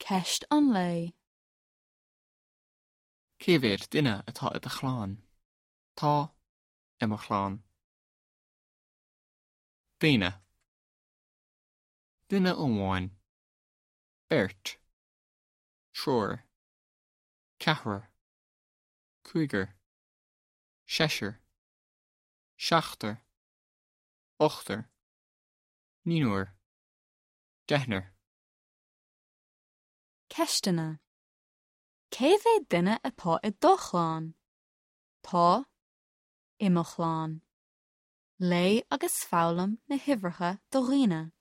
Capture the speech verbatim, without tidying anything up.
Ceist an lae. Cé mhéad duine atá i do chlann? Tá i mo chlann. Daoine. Duine amháin. Beirt. Triúr. Ceathrar. Cúigear. Seisear. Seachtar. Ochtar. Naonúr. Deichniúr. Ceisteanna. Cé mhéad duine atá i do chlann? Tá i mo chlann. Léigh agus foghlaim na huimhreacha do dhaoine.